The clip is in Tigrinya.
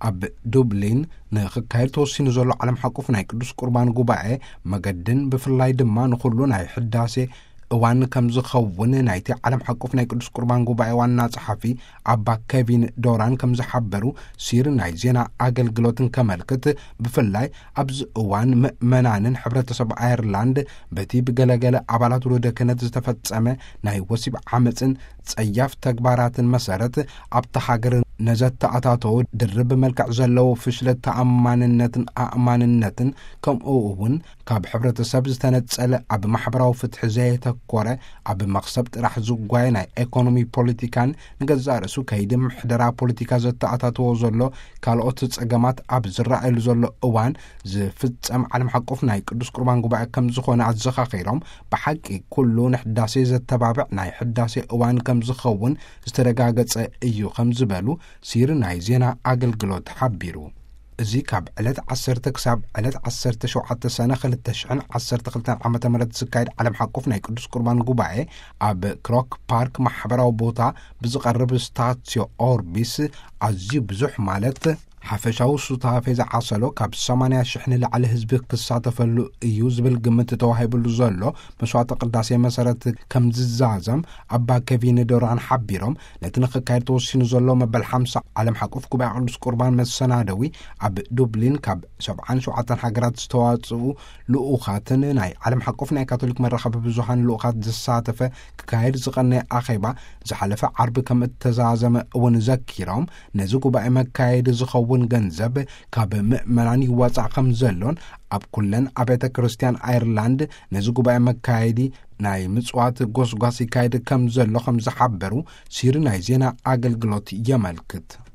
ኣብ ዱብሊን ንኽካየድ ተወሲኑ ዘሎ ዓለም ሓቁፍ ናይ ቅዱስ ቁርባን ጉባኤ መገድን ብፍላይ ድማ ንኹሉ ናይ ሕዳሴ እዋን ከም ዝኸውን ናይቲ ዓለም ሓቁፍ ናይ ቅዱስ ቁርባን ጉባኤ ዋና ጸሓፊ ኣባ ኬቪን ዶራን ከም ዝሓበሩ ሲር ናይ ዜና ኣገልግሎትን ከመልክት፣ ብፍላይ ኣብዚ እዋን ምእመናንን ሕብረተሰብ ኣየርላንድ በቲ ብገለገለ ኣባላት ውሉደ ክህነት ዝተፈጸመ ናይ ወሲብ ዓመፅን ጸያፍ ተግባራትን መሰረት ኣብታ ሃገር ነዘተኣታተው ድርብ መልክዕ ዘለዎ ፍሽለት ተኣማንነትን ኣእማንነትን ከምኡ እውን ካብ ሕብረተሰብ ዝተነጸለ ኣብ ማሕበራዊ ፍትሒ ዘየተኮረ ኣብ መኽሰብ ጥራሕ ዝጓየ ናይ ኤኮኖሚ ፖለቲካን ንገዛእ ርእሱ ከይዲ ምሕደራ ፖለቲካ ዘተኣታተዎ ዘሎ ካልኦት ጸገማት ኣብ ዝረኣየሉ ዘሎ እዋን ዝፍጸም ዓለም ሓቆፍ ናይ ቅዱስ ቁርባን ጉባኤ ከም ዝኾነ ኣዘኻኺሮም፣ ብሓቂ ኩሉ ንሕዳሴ ዘተባብዕ ናይ ሕዳሴ እዋን ከም ዝኸውን ዝተረጋገጸ እዩ ከም ዝበሉ ሲር ናይ ዜና ኣገልግሎት ሓቢሩ። እዚ ካብ ዕለት ዓሰርተ ክሳብ ዕለት ዓሰርተ ሸውዓተ ሰነ ክልተ ሽሕን ዓሰርተ ክልተን ዓመተ ምህረት ዝካየድ ዓለም ሓቆፍ ናይ ቅዱስ ቁርባን ጉባኤ ኣብ ክሮክ ፓርክ ማሕበራዊ ቦታ ብዝቐርብ ስታትዮ ኦርቢስ ኣዝዩ ብዙሕ ማለት ሓፈሻዊ ሱታፌ ዝዓሰሎ ካብ ሰማንያ ሽሕ ንላዕሊ ህዝቢ ክሳተፈሉ እዩ ዝብል ግምት ተዋሂብሉ ዘሎ መስዋዕተ ቅዳሴ መሰረት ከም ዝዛዘም ኣባ ኬቪን ዶራን ሓቢሮም፣ ነቲ ንኽካየድ ተወሲኑ ዘሎ መበል ሓምሳ ዓለም ሓቆፍ ጉባኤ ቅዱስ ቁርባን መሰናደዊ ኣብ ዱብሊን ካብ ሰብዓን ሸውዓተን ሃገራት ዝተዋጽኡ ልኡኻትን ናይ ዓለም ሓቆፍ ናይ ካቶሊክ መራኸቢ ብዙሃን ልኡኻት ዝሳተፈ ክካየድ ዝቐነየ ኣኼባ ዝሓለፈ ዓርቢ ከም እተዛዘመ እውን ዘኪሮም፣ ነዚ ጉባኤ መካየዲ ዝኸውን ገንዘብ ካብ ምእመናን ይዋጻእ ከም ዘሎን ኣብ ኩለን ኣብያተ ክርስቲያን ኣየርላንድ ነዚ ጉባኤ መካየዲ ናይ ምጽዋት ጎስጓስ ይካየድ ከም ዘሎ ከም ዝሓበሩ ሲሪ ናይ ዜና ኣገልግሎት የመልክት።